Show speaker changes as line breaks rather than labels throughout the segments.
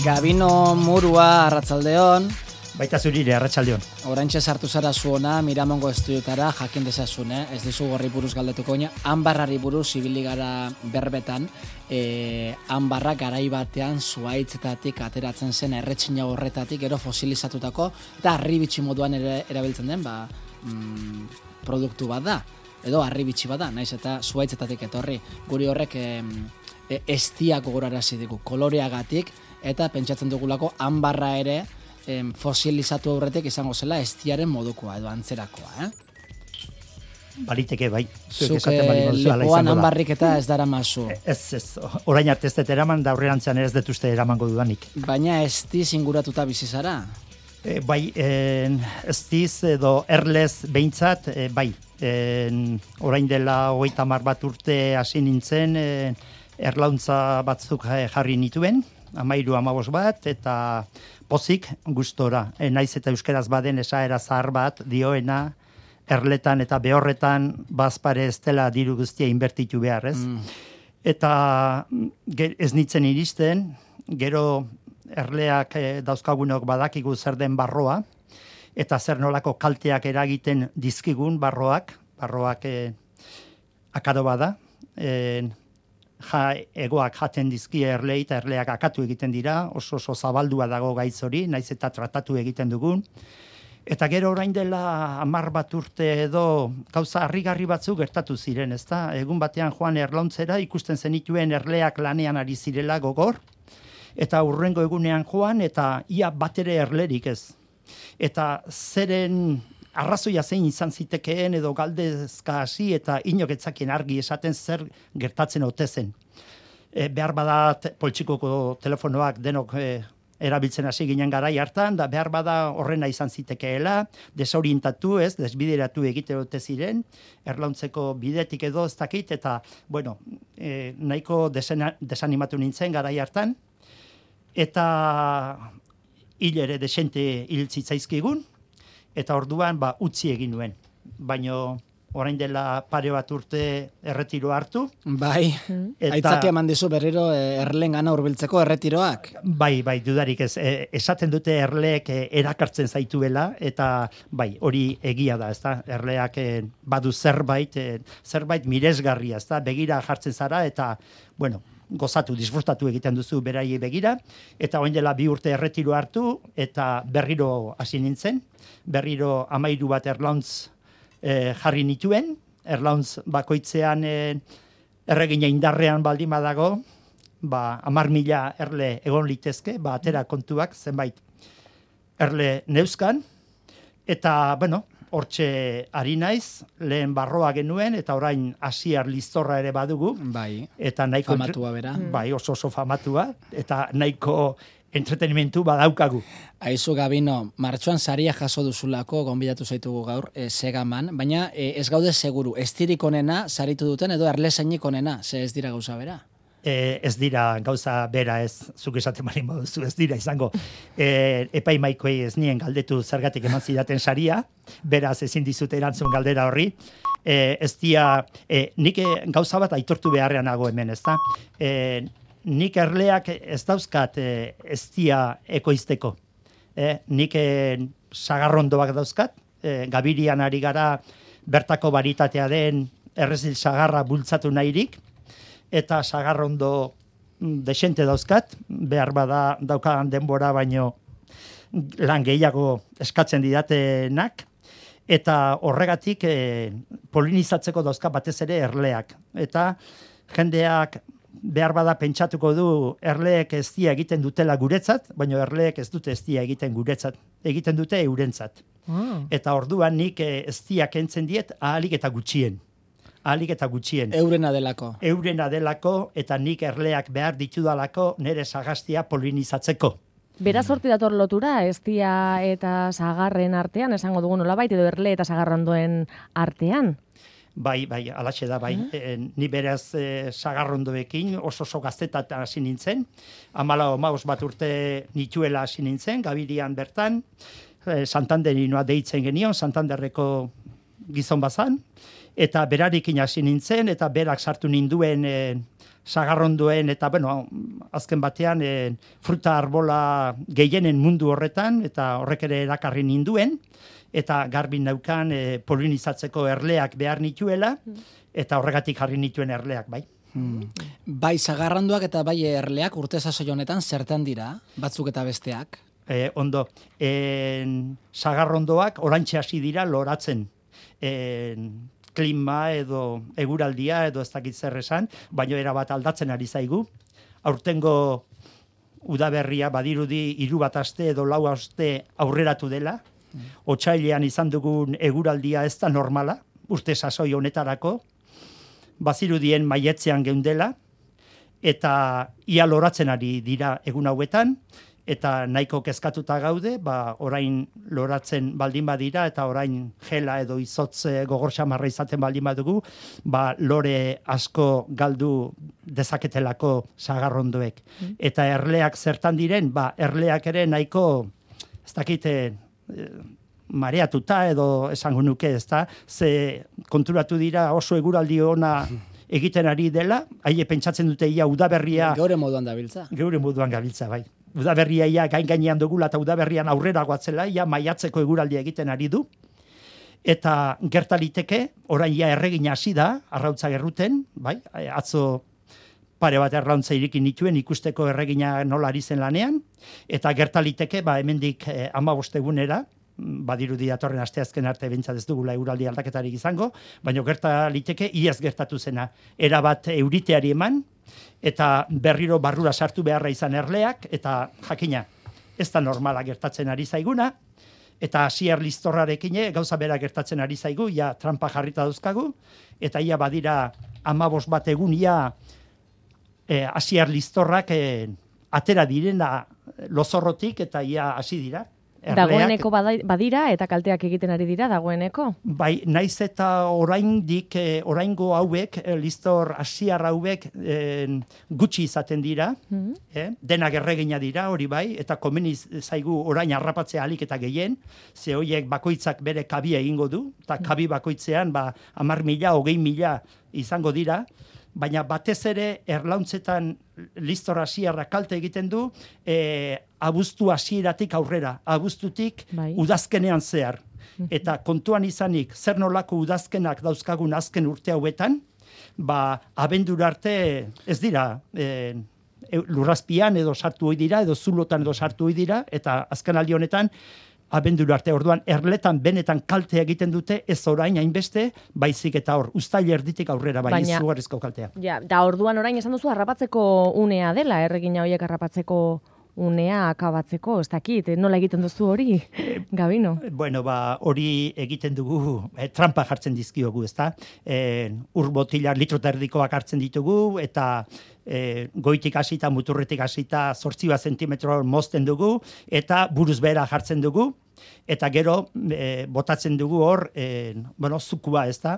Gabino Murua, arratsaldeon.
Baita zurire, arratsaldeon.
Oraintxe sartu zara zuona, Miramongo estudiotara, jakin dezazun, ez dizu gorri buruz galdetuko ina. Anbarrari buruz ibili gara berbetan, Anbarra garai batean zuhaitzetatik ateratzen zen erretxina horretatik, gero fosilizatutako, eta harribitxi moduan erabiltzen den, produktu bat da, edo harribitxi bat da, naiz eta zuhaitzetatik etorri. Guri horrek estiak gogorarazi digu, koloreagatik, eta pentsatzen dugulako Anbarra ere, fosilizatu aurretik izango zela estiaren modukoa edo antzerakoa,
Baliteke bai.
Zuk lepoan Anbarrik eta ez dara mazu.
Ez, orain arte ez dut eraman, da aurrerantzean ez dut uste eramango dudanik.
Baina estiz inguratuta bizi zara?
Bai, estiz edo erlez behintzat, bai. Orain dela 30 bat urte hasi nintzen, erlauntza batzuk jarri nituen, 13-15 bat, eta pozik gustora. Naiz eta euskeraz baden esaera zahar bat dioena, erletan eta behorretan bazpare ez dela diru guztia inbertitu behar, ez? Eta ez nintzen iristen, gero erleak dauzkagunok badakigu zer den barroa, eta zer nolako kalteak eragiten dizkigun barroak akado bada, egoak jaten dizkie erlei eta erleak akatu egiten dira, oso zabaldua dago gaitz hori, naiz eta tratatu egiten dugun. Eta gero orain dela 10 bat urte edo gauza harrigarri batzuk gertatu ziren, ezta? Egun batean joan erlauntzera ikusten zenituen erleak lanean ari zirela gogor, eta hurrengo egunean joan eta ia batere erlerik ez. Eta zeren arrazoia zein izan zitekeen edo galdezka hasi eta inok etzakien argi esaten zer gertatzen ote zen. Behar badat poltsikoko telefonoak denok erabiltzen hasi ginen garai hartan, da behar bada horrena izan zitekeela, desorientatu ez, desbideratu egite ote ziren, erlauntzeko bidetik edo ez dakit, eta, bueno, nahiko desanimatu nintzen garai hartan, eta hil ere desente hil zitzaizkigun, eta orduan utzi egin nuen. Baino orain dela pare bat urte erretiro hartu.
Bai, aitzaki eman dizu berriro erlengana hurbiltzeko erretiroak.
Bai, dudarik ez. Esaten dute erleek erakartzen zaituela, eta bai, hori egia da, ezta? Erleak badu zerbait miresgarria, ezta? Begira jartzen zara, eta, bueno, gozatu, disfrutatu egiten duzu beraiei begira, eta orain dela 2 urte erretiro hartu, eta berriro hasi nintzen, berriro 13 bat erlauntz jarri nituen, erlauntz bakoitzean erregina indarrean baldin badago, 10.000 erle egon litezke, atera kontuak zenbait erle neuzkan, eta, bueno, hortxe ari naiz, lehen barroa genuen, eta orain Asiar Liztorra ere badugu.
Bai,
eta nahiko
famatua bera.
Bai, oso famatua, eta nahiko entretenimentu badaukagu.
Aizu Gabino, martxoan saria jaso duzulako, gonbidatu zaitugu gaur, Segaman, baina ez gaude seguru, estirik onena saritu duten edo erlesainik onena, ze ez dira gauza bera?
Ez dira gauza bera, ez zuk esaten bali moduzu, ez dira izango. Epaimaikoei ez nien galdetu zergatik eman zidaten saria, beraz ezin dizute erantzun galdera horri. Ez dira, nik gauza bat aitortu beharrean nago hemen, ez da? Nik erleak ez dauzkat ez dira ekoizteko. Nik sagarrondoak dauzkat, Gabirian ari gara bertako baritatea den errezil sagarra bultzatu nahirik, eta sagarrondo desente dauzkat, behar bada daukadan denbora baino lan gehiago eskatzen didatenak, eta horregatik polinizatzeko dauzka batez ere erleak. Eta jendeak behar bada pentsatuko du erleek eztia egiten dutela guretzat, baina erleek ez dute eztia egiten guretzat, egiten dute eurentzat. Eta orduan nik eztia kentzen diet ahalik eta gutxien.
Eurena delako,
eta nik erleak behar ditudalako nire sagastia polinizatzeko.
Beraz horti dator lotura, eztia eta sagarren artean, esango dugu nolabait, edo erle eta sagarrondoen artean?
Bai, alaxe da, bai. Ni beraz sagarrondoekin oso gaztetat hasi nintzen. 14 bat urte nituela hasi nintzen, Gabirian bertan. Santanderinoa deitzen genion, Santanderreko gizon bazan. Eta berarekin hasi nintzen, eta berak sartu ninduen sagarrondoen eta, azken batean, fruta arbola gehienen mundu horretan, eta horrek ere erakarri ninduen, eta garbi naukan polinizatzeko erleak behar nituela, eta horregatik jarri nituen erleak, bai.
Bai sagarranduak eta bai erleak urte sasoi honetan zertan dira, batzuk eta besteak?
Ondo, sagarrondoak orantxe hasi dira loratzen. Klima edo eguraldia edo ez dakit zer esan, baina erabat aldatzen ari zaigu. Aurtengo udaberria badirudi 3 aste edo 4 aste aurreratu dela. Otsailean izan dugun eguraldia ez da normala, urte sasoi honetarako. Bazirudien maietzean geundela, eta ia loratzen ari dira egun hauetan, eta nahiko kezkatuta gaude, orain loratzen baldin badira, eta orain gela edo izotz gogor xamarra izaten baldin badugu, lore asko galdu dezaketelako sagarrondoek. Eta erleak zertan diren, erleak ere nahiko, ez dakite, mareatuta edo esango nuke, ezta, ze konturatu dira oso eguraldi ona egiten ari dela, haie pentsatzen dute ia udaberria...
Geure moduan dabiltza.
Geure moduan gabiltza, bai. Udaberria ia gainean dugula eta udaberrian aurrera goatzela, ia maiatzeko eguraldia egiten ari du. Eta gertaliteke, orain ia erregina hasi da, arrautza gerruten, bai, atzo pare bat errauntza irikin nituen ikusteko erregina nola ari zen lanean, eta gertaliteke, hemendik 15 egunera, badirudi datorren asteazken arte behintzat ez dugula eguraldi aldaketarik izango, baina gertaliteke iaz gertatu zena. Erabat euriteari eman, eta berriro barrura sartu beharra izan erleak, eta jakina, ez da normala gertatzen ari zaiguna, eta hasier listorrarekin gauza bera gertatzen ari zaigu, ia trampa jarrita dauzkagu, eta ia badira 15 bat egun ia hasier listorrak atera direna lozorrotik, eta ia hasi dira.
Dagoeneko badira eta kalteak egiten ari dira dagoeneko?
Bai, naiz eta oraingo hauek, listor hasiar hauek gutxi izaten dira, denak erregina dira, hori bai, eta komeni zaigu orain harrapatzea ahalik eta gehien, ze horiek bakoitzak bere kabia egingo du, eta kabi bakoitzean 10.000, 20.000 izango dira, baina batez ere erlauntzetan listor hasiarra kalte egiten du, abuztu hasieratik aurrera, abuztutik udazkenean zehar. Eta kontuan izanik, zer nolako udazkenak dauzkagun azken urte hauetan, abendura arte ez dira lurrazpian edo sartu hoi dira, edo zulotan edo sartu hoi dira, eta azken aldi honetan, abendura arte orduan erletan benetan kalte egiten dute, ez orain hainbeste, baizik eta hor, uztail erditik aurrera, izugarrizko kaltea.
Ja, da orduan orain esan duzu harrapatzeko unea dela, erregina horiek harrapatzeko unea akabatzeko, ez dakit, nola egiten duzu hori, Gabino?
Bueno, hori egiten dugu, trampa jartzen dizkiogu, ezta? Ur botilar litro eta erdikoak hartzen ditugu, eta goitik hasita, muturretik hasita, 8 zentimetro mozten dugu, eta buruz behera jartzen dugu, eta gero botatzen dugu hor, zukua, ezta?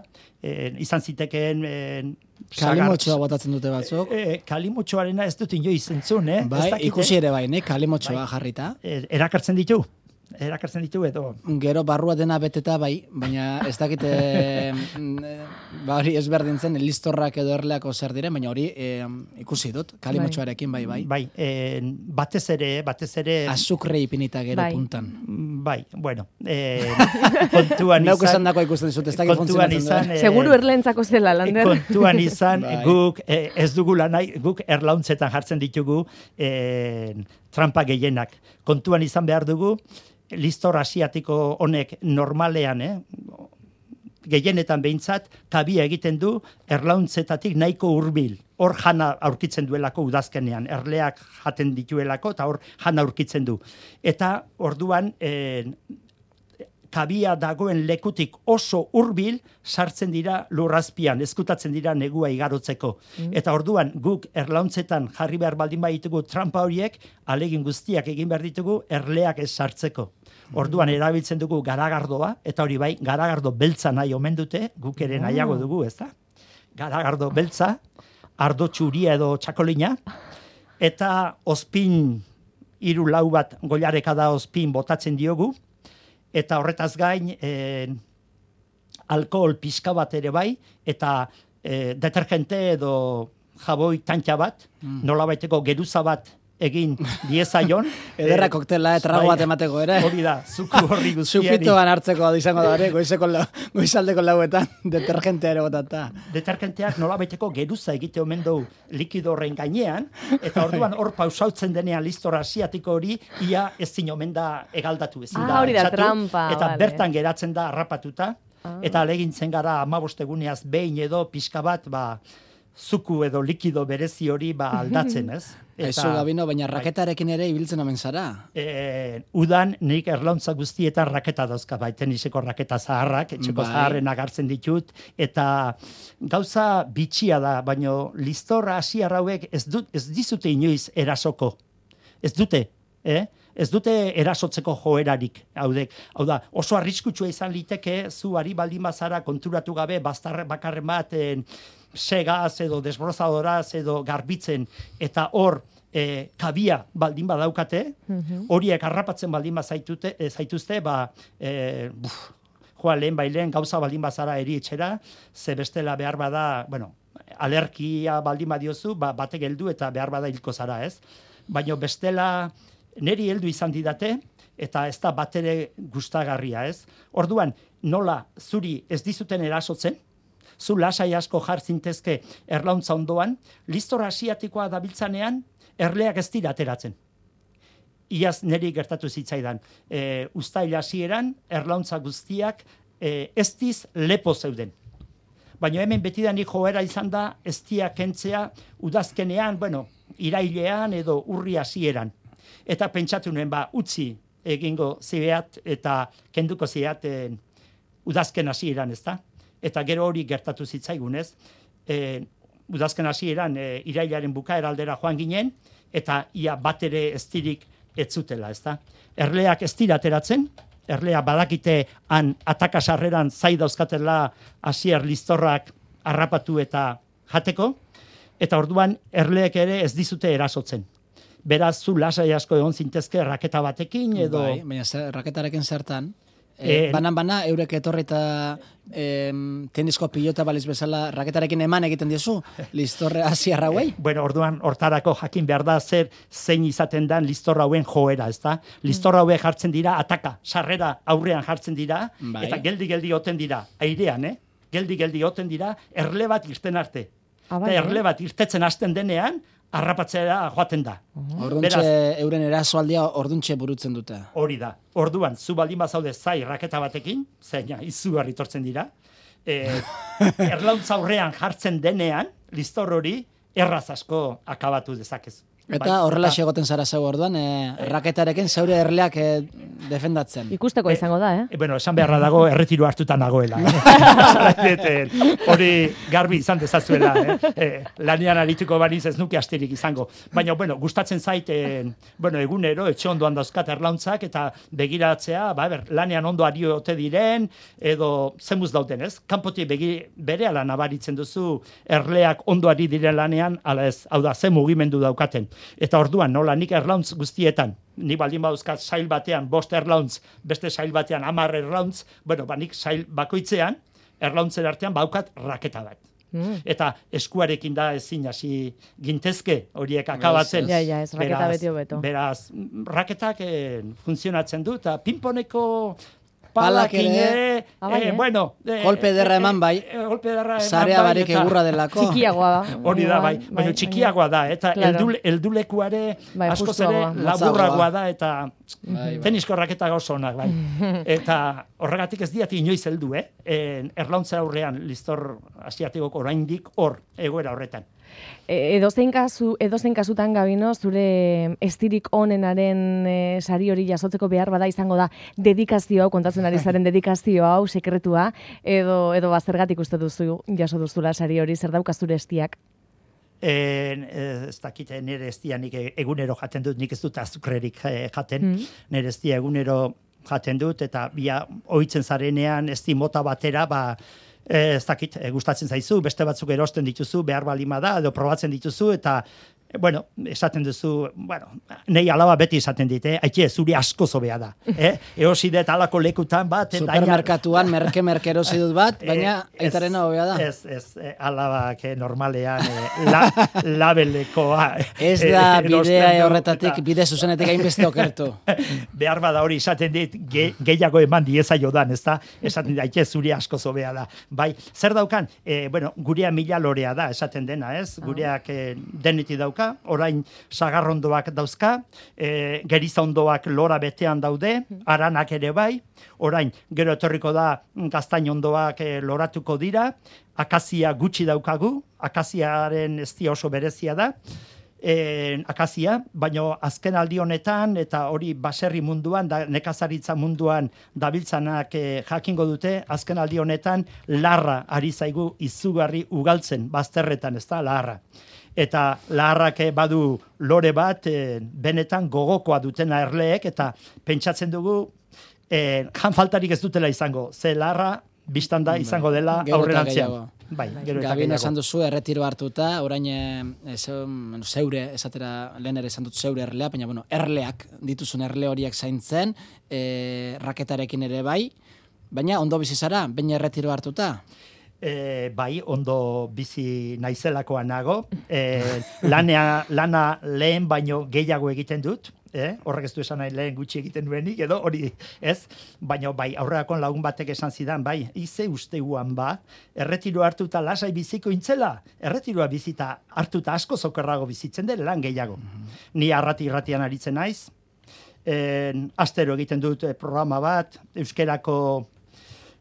Izan zitekeen...
Kalimotxoa botatzen dute batzuk.
Kalimotxoarena ez dut inoiz entzun,
Bai, ikusi ere bai, kalimotxoa jarrita.
Erakartzen ditu edo.
Gero barrua dena beteta bai, baina ez dakite hori ezberdin zen, listorrak edo erleako zer diren, baina hori ikusi dut, kalimotxoarekin bai.
Bai, batez ere...
Azukre ipinita gero puntan.
Bai, bueno, kontuan izan...
Neuk esan dako ikusten dizut, ez dakit funtzionatzen.
Seguru erleentzako zela, Lander.
Kontuan izan, guk ez dugula nahi, guk erlauntzetan jartzen ditugu trampa gehienak. Kontuan izan behar dugu, listor asiatiko honek normalean, gehienetan behintzat, kabia egiten du erlauntzetatik nahiko hurbil. Hor jana aurkitzen duelako udazkenean, erleak jaten dituelako, eta hor jana aurkitzen du. Eta orduan, kabia dagoen lekutik oso hurbil sartzen dira lurrazpian, ezkutatzen dira negua igarotzeko. Eta orduan guk erlauntzetan jarri behar baldin baditugu trampa horiek, alegin guztiak egin behar ditugu erleak ez sartzeko. Orduan erabiltzen dugu garagardoa, eta hori bai, garagardo beltza nahi omen dute, guk ere nahiago dugu, ez da? Garagardo beltza, ardo txuria edo txakolina, eta ospin 3-4 bat goilareka da ospin botatzen diogu, eta horretaz gain alkohol pixka bat ere bai, eta detergente edo jaboi tantxa bat, nolabaiteko geruza bat egin diezaion.
Ederra koktela, trago bat emateko ere.
Hori da, zuku horri guztieni.
Zupitoan hartzeko izango da ere, goizaldeko lauetan, detergentea ere botata.
Detergenteak nolabaiteko geruza egite omen du likido horren gainean, eta orduan hor pausautzen denean listora asiatiko hori, ia ez zin omen da egaldatu ezin da.
Hori da,
etxatu,
trampa.
Eta
vale.
bertan geratzen da harrapatuta, eta alegintzen gara 15 eguneaz behin edo pixka bat, zuku edo likido berezi hori aldatzen, ez?
Aizu, Gabino, baina raketarekin ere ibiltzen omen zara.
Udan nik erlauntza guztietan raketa dauzka, teniseko raketa zaharrak, etxeko zaharren agartzen ditut, eta gauza bitxia da, baino listorra hasiar hauek ez dizute inoiz erasoko. Ez dute, ez dute erasotzeko joerarik, hau da, oso arriskutsua izan liteke, zu ari baldin bazara konturatu gabe, bastar bakarren bat, segaz edo desbrozadoraz edo garbitzen, eta hor kabia baldin badaukate, horiek harrapatzen baldin zaituzte, lehen bailen gauza baldin bazara eri etxera, ze bestela behar bada, alergia baldin badiozu, batek heldu eta behar bada hilko zara, ez? Baina bestela neri heldu izan didate, eta ez da batere gustagarria, ez? Orduan, nola zuri ez dizuten erasotzen, zu lasai asko jartzintezke erlauntza ondoan, listora asiatikoa dabiltzanean, erleak ez dira ateratzen. Iaz niri gertatu zitzaidan. Uztail hasieran, erlauntza guztiak ez diz lepo zeuden. Baina hemen betidanik joera izan da, ez dia kentzea udazkenean, irailean edo urri hasieran. Eta pentsatu nuen, utzi egingo zibeat eta kenduko zibeat udazken hasieran, ez da? Eta gero hori gertatu zitzaigunez, udazken hasieran irailaren bukaera aldera joan ginen, eta ia bat ere ez dirik ez zutela, ezta? Erleak ez dira ateratzen, erlea badakite han atakasarreran zai dauzkatela hasier listorrak harrapatu eta jateko, eta orduan erleek ere ez dizute erasotzen. Beraz, zu lasai asko egon zintezke raketa batekin edo...
Baina raketarekin zertan... Banan, eurek etorri eta tenisko pilota baliz bezala raketarekin eman egiten diozu, listorre hasiar hauei?
Orduan, hortarako jakin behar da zein izaten dan listorra hauen joera, ezta? Listorra haue jartzen dira, ataka, sarrera aurrean jartzen dira, eta geldi oten dira, airean, geldi oten dira, erle bat irten arte. Eta erle bat irtetzen hasten denean, harrapatzea joaten da.
Orduntxe, euren erasoaldia orduntxe burutzen dute.
Hori da. Orduan, zu baldin bazaude zai raketa batekin, zeina izugarri tortzen dira, erlauntza aurrean jartzen denean, listor hori erraz asko akabatu dezakezu.
Eta horrela egoten zara zeu orduan, raketarekin zeure erleak defendatzen.
Ikusteko izango da,
Esan beharra dago erretiro hartuta nagoela. Hori garbi izan dezazuela. Lanean arituko baniz ez nuke asterik izango. Baina, gustatzen zait, egunero, etxe ondoan dauzkat erlauntzak, eta begiratzea, lanean ondo ari ote diren, edo zemuz dauten, ez? Kanpotik berehala nabaritzen duzu erleak ondo ari diren lanean, ala ez, hau da, ze mugimendu daukaten. Eta orduan, nola, nik erlauntz guztietan, ni baldin baduzkat sail batean 5 erlauntz, beste sail batean 10 erlauntz, nik sail bakoitzean, erlauntzen artean baukat raketa bat. Eta eskuarekin da ezin hasi gintezke horiek akabatzen.
Ja, ez raketa beti hobeto.
Beraz, raketak funtzionatzen du, eta pinponeko palakin
golpe derra eman bai, zarea barik egurra delako.
Txikiagoa da.
Hori da, baina txikiagoa da, eta eldulekuare askoz ere laburragoa da, eta tenisko raketa oso onak, Eta horregatik ez diati inoiz heldu, erlauntza aurrean listor asiatikok oraindik hor, egoera horretan.
Edozein kasutan, Gabino, zure estirik onenaren sari hori jasotzeko behar bada izango da dedikazio hau, kontatzen ari zaren dedikazio hau, sekretua, edo bazergatik uste duzu jaso duzula sari hori, zer daukaz zure estiak?
Ez dakit, nire estia nik egunero jaten dut, nik ez dut azukrerik jaten, nire estia egunero jaten dut, eta ohitzen zarenean esti mota batera, ez dakit, gustatzen zaizu, beste batzuk erosten dituzu, behar balima da, edo probatzen dituzu, eta Bueno, esaten duzu, nei alaba beti esaten dit, aitxe, zuri asko zobea da. Eosi dut alako lekutan bat.
Supermerkatuan merke erosi dut bat, baina aitarena hobea da.
Ez, alabak normalean labelekoa.
Ez da bidea horretatik, bide zuzenetik hainbeste okertu.
Behar bada hori esaten dit, gehiago eman diezaio dan, ez da? Esaten dit, aitxe, zuri asko zobea da. Bai, zer daukan? Gurea 1000 lorea da, esaten dena, ez? Gureak deneti dauka. Orain sagarrondoak dauzka, gerizondoak lora betean daude, aranak ere bai, orain gero etorriko da gaztainondoak loratuko dira, akazia gutxi daukagu, akaziaren eztia oso berezia da, akazia, baino azken aldi honetan eta hori baserri munduan, nekazaritza munduan dabiltzanak jakingo dute, azken aldi honetan larra ari zaigu izugarri ugaltzen bazterretan, ez da, larra. Eta laharrak badu lore bat, benetan gogokoa dutena erleek, eta pentsatzen dugu, janfaltarik ez dutela izango, ze laharra biztan da izango dela aurrerantzean. Bai,
Gabino esan duzu, erretiro hartuta, orain zeure, esatera, lehen ere esan dut zeure erlea, baina erleak, dituzun erle horiek zaintzen, raketarekin ere bai, baina ondo bizi zara, baina erretiro hartuta.
Bai, ondo bizi naizelakoa nago. Lana lehen baino gehiago egiten dut. Horrek ez du esan nahi lehen gutxi egiten duenik, edo hori ez. Baina bai, aurreakon lagun batek esan zidan, bai, ize usteuan erretiro hartuta lasai biziko intzela, erretiroa bizita hartuta asko zokerrago bizitzen dela lan gehiago. Ni irratian aritzen naiz. Astero egiten dut programa bat, euskerako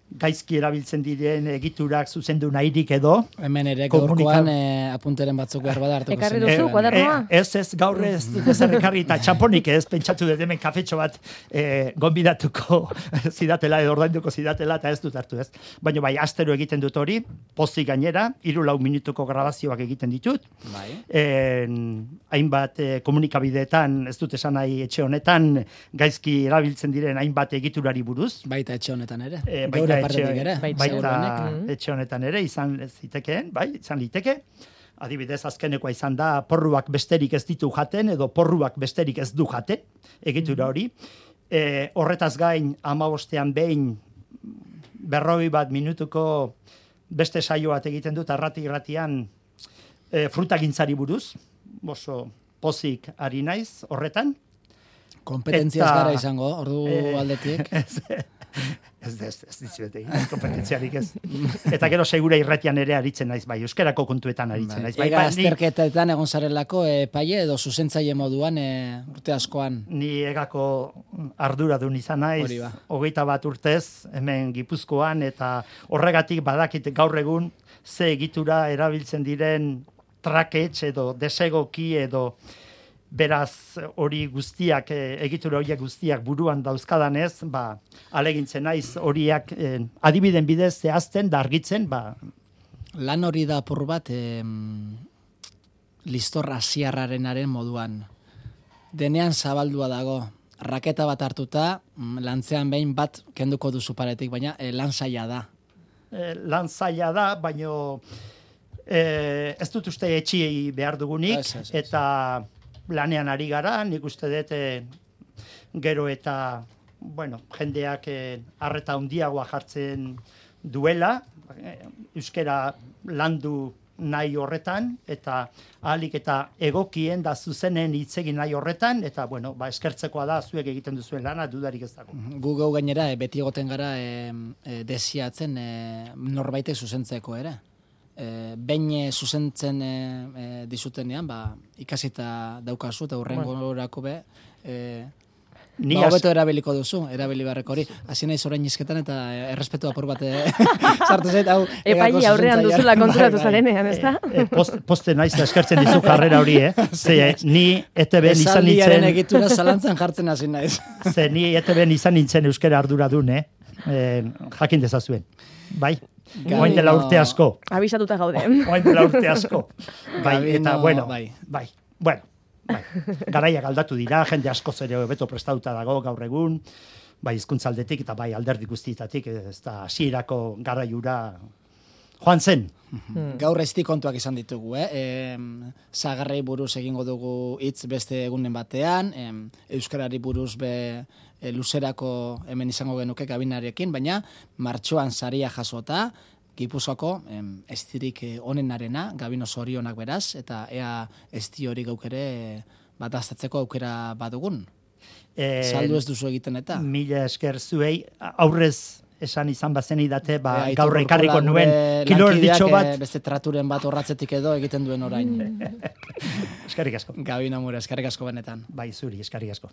gaizki erabiltzen diren egiturak zuzendu nahirik edo.
Hemen ere gaurkoan apunteren batzuk behar bada hartuko zen.
Ekarri duzu, kuadernoa?
Ez, gaur ez dut ekarri eta txamponik ez, pentsatu dut hemen kafetxo bat gonbidatuko zidatela edo ordainduko zidatela eta ez dut hartu ez. Baina bai, astero egiten dut hori, pozik gainera, 3-4 minutuko grabazioak egiten ditut.
Bai.
Hainbat komunikabideetan, ez dut esan nahi etxe honetan, gaizki erabiltzen diren hainbat egiturari buruz.
Baita etxe honetan ere.
Baita etxe honetan ere, izan zitekeen, bai, izan liteke. Adibidez, azkenekoa izan da, porruak besterik ez ditu jaten, edo porruak besterik ez du jaten, egitura hori. Horretaz gain, 15ean behin, 41 minutuko beste saio bat egiten dut, irratian frutagintzari buruz, oso pozik ari naiz horretan.
Kompetentziaz gara izango, ordu aldetik.
Ez dizuete, kompetentziarik ez. Eta gero segura irratian ere aritzen naiz, bai, euskerako kontuetan aritzen naiz.
Ega azterketetan egon zarelako epaile edo zuzentzaile moduan urte askoan.
Ni egako arduradun izan naiz, 21 urtez, hemen Gipuzkoan, eta horregatik badakit gaur egun ze egitura erabiltzen diren traketx edo desegoki edo beraz hori guztiak, egitura horiek guztiak buruan dauzkadanez, alegintzen naiz horiak adibiden bidez zehazten, dargitzen,
Lan hori da apur bat listor asiarrarenaren moduan. Denean zabaldua dago. Raketa bat hartuta, lantzean behin bat kenduko duzu paretik, baina lan zaila da.
Lan zaila da, baina ez dut uste etxiei behar dugunik, eta lanean ari gara, nik uste dut gero eta jendeak arreta handiagoa jartzen duela, euskera landu nahi horretan, eta ahalik eta egokien da zuzenen hitzegin nahi horretan, eta eskertzekoa da zuek egiten duzuen lana, dudarik ez dago.
Gu gainera, beti egoten gara desiatzen norbaitek zuzentzeko ere. Behin zuzentzen dizutenean, ikasita daukazu, eta hurrengorako hobeto erabiliko duzu, erabili beharreko hori. Hasi naiz orain izketan eta errespetu apur bat sartu zait, hau
epaile aurrean duzula konturatu zarenean, ez da?
Poste naiz da eskertzen dizu jarrera hori, ni ETB izan nintzen...
Esaldiaren egitura zalantzan jartzen hasi naiz.
Ze ni ETB izan nintzen euskera arduradun, jakin dezazuen. Bai? Oain dela urte asko.
Abisatuta gaude.
Oain dela urte asko. Eta, bai. Garaiak aldatu dira, jende asko zere beto prestatuta dago gaur egun, bai hizkuntzaldetik eta bai alderdi guztietatik, ez da hasierako garaiura joan zen.
Gaur ezti kontuak izan ditugu, zagarrei buruz egingo dugu hitz beste egunen batean, euskarari buruz luzerako hemen izango genuke gabinarekin, baina martxoan saria jasota, Gipuzkoako estirik onenarena, gabino zorionak beraz, eta ea esti hori gauk ere bat aztatzeko aukera badugun. Saldu ez duzu egiten eta?
Mila esker zuei, aurrez esan izan bazen idate, gaur ekarriko nuen kilorditxo bat.
Beste traturen bat horratzetik edo egiten duen orain.
Eskerrik asko.
Gabino Mura, eskerrik asko benetan.
Bai, zuri, eskerrik asko.